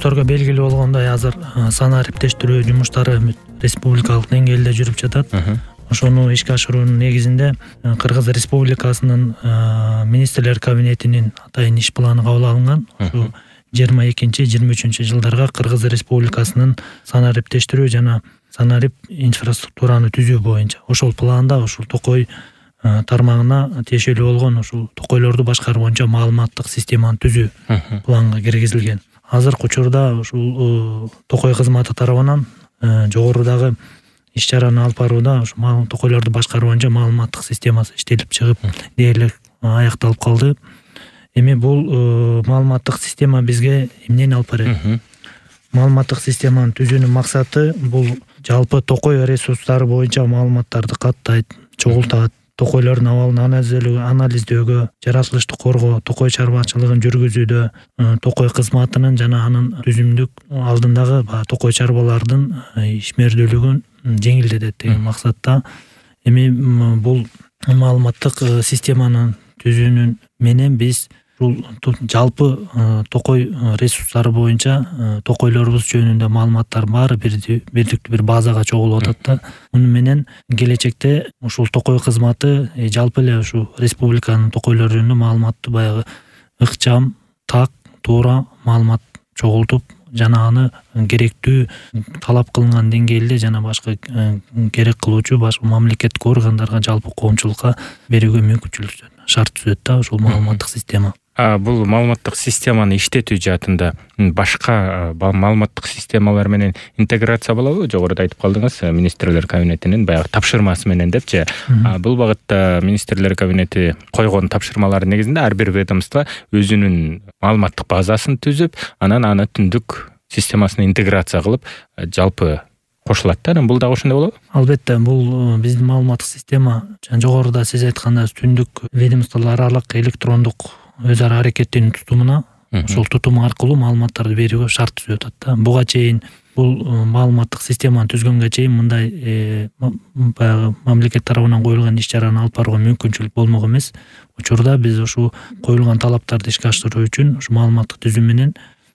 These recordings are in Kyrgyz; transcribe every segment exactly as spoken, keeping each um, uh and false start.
журналисттерге белгилүү болгондой азыр санариптештирүү жумуштары республикалык деңгээлде жүрүп жатат. Ошону ишке ашыруунун негизинде Кыргыз Республикасынын министрлер кабинетинин атайын иш планы кабыл алынган. Ушу жыйырма экинчи жыйырма үчүнчү жылдарга Кыргыз Республикасынын санариптештирүү жана санарип инфраструктураны түзүү боюнча ошол планда ушул токой тармагына тиешелүү болгон ушул токойлорду башкаруу боюнча маалыматтык системаны түзүү планга киргизилген. Азыркы учурда ушул токой кызматы тарабынан жогорудагы иш-чараны алып барууда ушу токойлорду башкаруу боюнча маалыматтык системасы иштелип чыгып дээрлик аякталып калды. Эми бул маалыматтык система бизге эмнени алып берет? Маалыматтык системаны түзүүнүн максаты бул жалпы токой ресурстары боюнча маалыматтарды каттайт, чогултат, токойлордун абалын анализдөөгө, жаратылышты коргоо, токой чарбачылыгын жүргүзүүдө, токой кызматынын жана анын түзүмдүк алдындагы токой чарбалардын ишмердүүлүгүн жеңилдетет деген максатта. Эми бул маалыматтык системаны түзүүнүн менен биз жалпы токой ресурстары боюнча токойлорубуз жөнүндө маалыматтар баары бирдиктүү бир базага чогулуп атат да. Муну менен келечекте ушул токой кызматы жалпы эле ушу республиканын токойлору жөнүндө маалыматты баягы ыкчам, так, туура маалымат чогултуп жана аны керектүү талап кылынган деңгээлде жана башка керек кылуучу башка мамлекеттик органдарга жалпы коомчулукка берүүгө мүмкүнчүлүк шарт түзөт да ушул маалыматтык система. А бул маалыматтык системаны иштетүү жаатында башка маалыматтык системалар менен интеграция болобу? Жогоруда айтып калдыңыз, министрлер кабинетинин баягы тапшырмасы менен депчи. Бул багытта министрлер кабинети койгон тапшырмалардын негизинде ар бир ведомство өзүнүн маалыматтык базасын түзүп, анан аны түндүк системасына интеграция кылып, жалпы кошулат да. Бул дагы ошондой болобу? Албетте, бул биздин маалыматтык система жогоруда сиз айткандай түндүк ведомстволор аралык электрондук өз ара аракеттенүү тутумуна ошол тутум аркылуу маалыматтарды берүүгө шарт түзүп атат да. Буга чейин бул маалыматтык системаны түзгөнгө чейин мындай баягы мамлекет тарабынан коюлган иш-чараны алып барууга мүмкүнчүлүк болмок эмес. Учурда биз ушу коюлган талаптарды ишке ашыруу үчүн ушу маалыматтык түзүү менен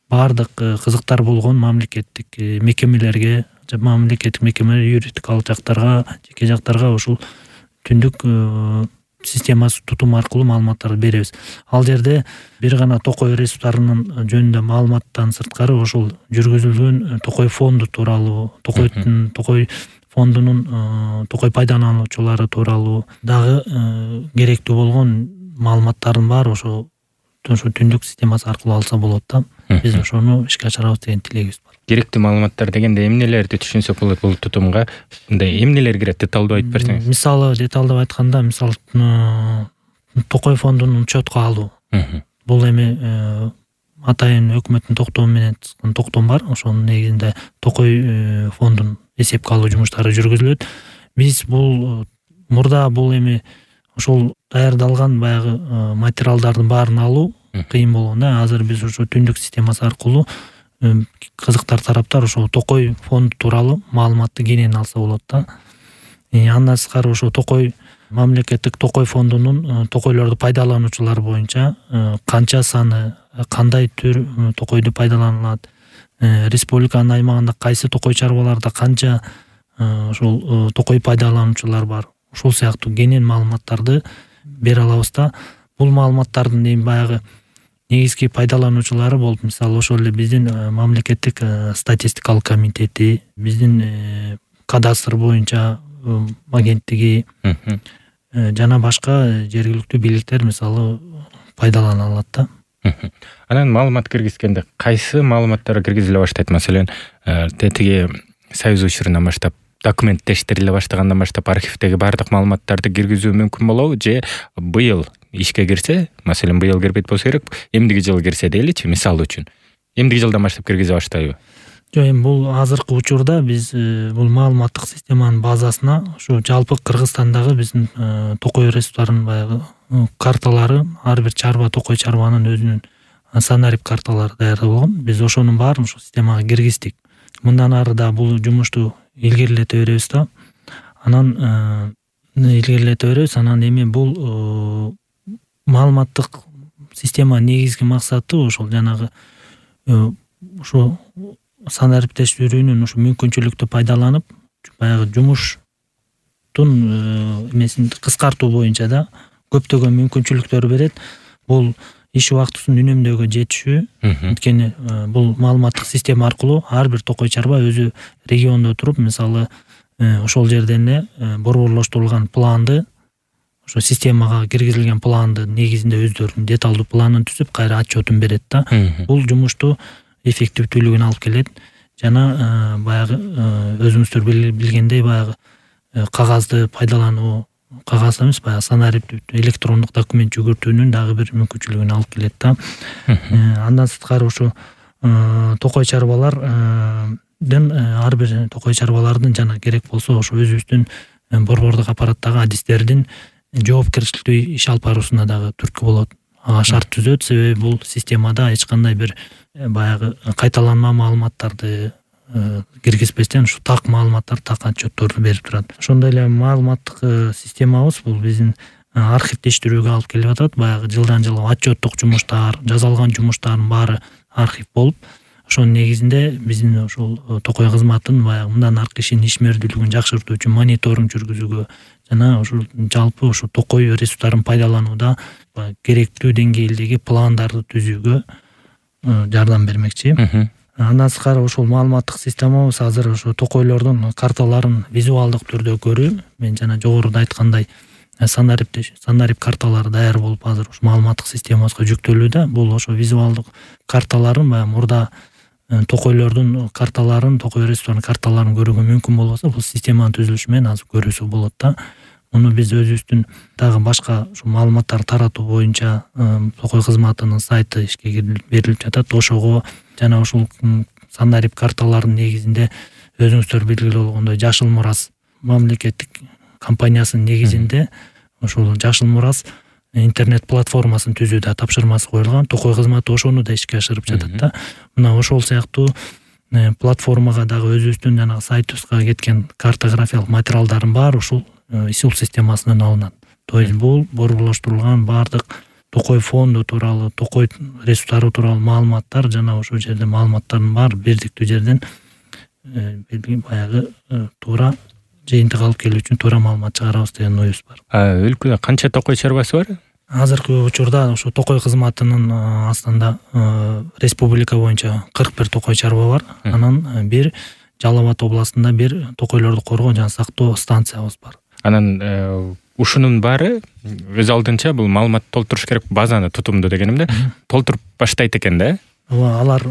баардык кызыктар болгон мамлекеттик мекемелерге, мамлекеттик мекемелер, юридикалык жактарга, жеке жактарга ушул түндүк системасы тутум аркылуу маалыматтарды беребиз. Ал жерде бир гана токой ресурстарынын жөнүндө маалыматтан сырткары ошол жүргүзүлгөн токой фонду тууралуу, токойдун токой фондунун токой пайдалануучулары тууралуу дагы керектүү болгон маалыматтардын баары ошо ошо түндүк системасы аркылуу алса болот да. Биз ошону ишке ашырабыз деген тилегибиз бар. Керектүү маалыматтар дегенде эмнелерди түшүнсөк болот бул тутумга? Мындай эмнелер кирет, деталдуу айтып берсеңиз. Мисалы, деталдуу айтканда, мисалы токой фондунун учетко алуу. Бул эми атайын өкмөттүн токтому менен чыккан токтом бар. Ошонун негизинде токой фондун эсепке алуу жумуштары жүргүзүлөт. Биз бул мурда бул эми ошол даярдалган баягы материалдардын баарын алуу кыйын болгон да. Азыр биз ошо түндүк системасы аркылуу кызыктар тараптар ошол токой фонд тууралуу маалыматты кенен алса болот да. Андан сырткары ошо токой мамлекеттик токой фондунун токойлорду пайдалануучулар боюнча канча саны, кандай түр токойду пайдаланылат, республиканын аймагында кайсы токой чарбаларда канча ошол токой пайдалануучулар бар, ушул сыяктуу кенен маалыматтарды бере алабыз да. Бул маалыматтардын эми баягы негизги пайдалануучулары болуп, мисалы ошол эле биздин мамлекеттик статистикалык комитети, биздин кадастр боюнча агенттиги жана башка жергиликтүү бийликтер мисалы пайдалана алат да. Анан маалымат киргизгенде кайсы маалыматтар киргизиле баштайт? Маселен, тетиги союз учурунан баштап документтештириле баштагандан баштап архивдеги баардык маалыматтарды киргизүү мүмкүн болобу же быйыл ишке кирсе, маселен быйыл кирбейт болсо керек, эмдиги жылы кирсе дейличи, мисалы үчүн. Эмдиги жылдан баштап киргизе баштайбы? Жок, эми бул азыркы учурда биз бул маалыматтык системанын базасына ушу жалпы Кыргызстандагы биздин токой ресурстарынын баягы карталары, ар бир чарба, токой чарбанын өзүнүн санарип карталары даярдалган. Биз ошонун баарын ушул системага киргиздик. Мындан ары да бул жумушту илгерилете беребиз да. Анан илгерилете беребиз. Анан эми бул маалыматтык системанын негизги максаты ошол жанагы ушу санариптештирүүнүн ушу мүмкүнчүлүктү пайдаланып баягы жумуштун эмесин кыскартуу боюнча да көптөгөн мүмкүнчүлүктөр берет. Бул иш убактысын үнөмдөөгө жетишүү. Анткени бул маалыматтык система аркылуу ар бир токой чарба өзү региондо туруп, мисалы ошол жерден эле борборлоштурулган планды, ошо системага киргизилген планды негизинде өздөрүнүн деталдуу планын түзүп, кайра отчетун берет да. Бул жумушту эффективдүүлүгүн алып келет жана баягы өзүңүздөр билгендей баягы кагазды пайдалануу, кагаз эмес, баягы санариптүү электрондук документ жүгүртүүнүн дагы бир мүмкүнчүлүгүн алып келет да. Андан сырткары ушу токой чарбалардын ар бир токой чарбалардын жана керек болсо ошо өзүбүздүн борбордук аппараттагы адистердин жоопкерчиликтүү иш алып баруусуна дагы түрткү болот. Ага шарт түзөт, себеби бул системада эч кандай бир баягы кайталанма маалыматтарды киргизбестен ушу так маалыматтар, так отчетторду берип турат. Ошондой эле маалыматтык системабыз бул биздин архивдештирүүгө алып келип атат. Баягы жылдан жылга отчеттук жумуштар, жазалган жумуштардын баары архив болуп, ошонун негизинде биздин ошол токой кызматын баягы мындан аркы ишин ишмердүүлүгүн жакшыртуу үчүн мониторинг жүргүзүүгө жана ошол жалпы ошо токой ресурстарын пайдаланууда керектүү деңгээлдеги пландарды түзүүгө жардам бермекчи. Андан сырткары ошол маалыматтык системабыз азыр ошо токойлордун карталарын визуалдык түрдө көрүү, мен жана жогоруда айткандай санариптеш санарип карталары даяр болуп азыр ушу маалыматтык системабызга жүктөлүүдө. Бул ошо визуалдык карталарын баягы мурда токойлордун карталарын, токой ресурстарынын карталарын көрүүгө мүмкүн болбосо, бул системанын түзүлүшү менен азыр көрүүсү болот да. Муну биз өзүбүздүн дагы башка ушу маалыматтар таратуу боюнча токой кызматынын сайты ишке берилип жатат. Ошого жана ушул санарип карталарынын негизинде өзүңүздөр белгилүү болгондой Жашыл Мурас мамлекеттик компаниясынын негизинде ошол Жашыл Мурас интернет платформасын түзүүдө тапшырмасы коюлган. Токой кызматы ошону да ишке ашырып жатат да. Мына ошол сыяктуу платформага дагы өзүбүздүн жана сайтыбызга кеткен картографиялык материалдардын баары ушул ИСУЛ системасынан алынат. То есть бул борборлоштурулган баардык токой фонду тууралуу, токой ресурстары тууралуу маалыматтар жана ошол жерде маалыматтардын баары бирдиктүү жерден баягы туура жыйынтык алып келүү үчүн туура маалымат чыгарабыз деген оюбуз бар. Өлкөдө канча токой чарбасы бар? Азыркы учурда ошо токой кызматынын астында республика боюнча кырк бир токой чарба бар. Анан бир Жалал Абад областында бир токойлорду коргоо жана сактоо станциябыз бар. Анан ушунун баары өз алдынча бул маалымат толтуруш керек, базаны тутумду дегенимде толтуруп баштайт экен да? Ооба, алар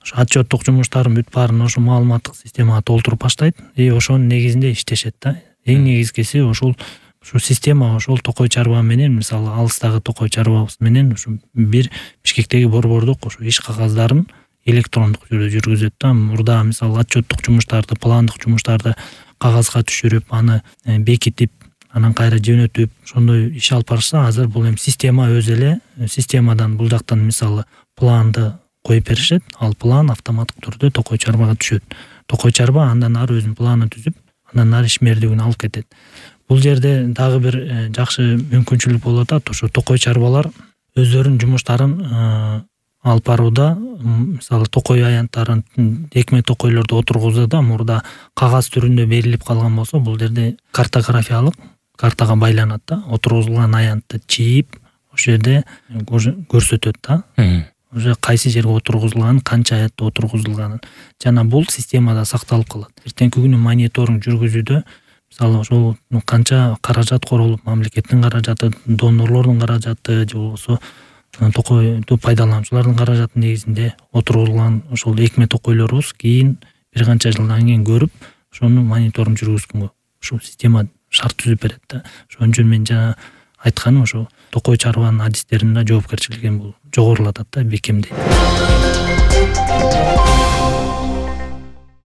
ошо отчеттук жумуштарын бүт баарын ошо маалыматтык системага толтуруп баштайт и ошонун негизинде иштешет да. Эң негизгиси ошол ушу система ошол токой чарба менен, мисалы алыстагы токой чарбабыз менен ушу бир Бишкектеги борбордук ошо иш кагаздарын электрондук түрдө жүргүзөт да. Мурда мисалы отчеттук жумуштарды, пландык жумуштарды кагазга түшүрүп, аны бекитип, анан кайра жөнөтүп, ошондой иш алып барышса, азыр бул эми система өзү эле системадан бул жактан мисалы планды коюп беришет, ал план автоматтык түрдө токой чарбага түшөт. Токой чарба андан ары өзүнүн планын түзүп, андан ары ишмердүүлүгүн алып кетет. Бул жерде дагы бир жакшы мүмкүнчүлүк болуп атат. Ошо токой чарбалар өздөрүнүн жумуштарын алып барууда, мисалы токой аянттарын экме токойлорду отургузууда мурда кагаз түрүндө берилип калган болсо, бул жерде картографиялык картага байланат да. Отургузулган аянтты чийип, ошол жерде көрсөтөт да. Уже кайсы жерге отургузулганын, канча аятта отургузулганын жана бул системада сакталып калат. Эртеңки күнү мониторинг жүргүзүүдө мисалы ошол канча каражат королуп, мамлекеттин каражаты, донорлордун каражаты же болбосо токойду пайдалануучулардын каражаты негизинде отургузулган ошол экме токойлорубуз кийин бир канча жылдан кийин көрүп, ошону мониторинг жүргүзгөнгө ушул система шарт түзүп берет да. Ошон үчүн мен жана айтканым ошо токой чарбанын адистеринин жоопкерчилигин бул жогорулатат да, бекемдейт.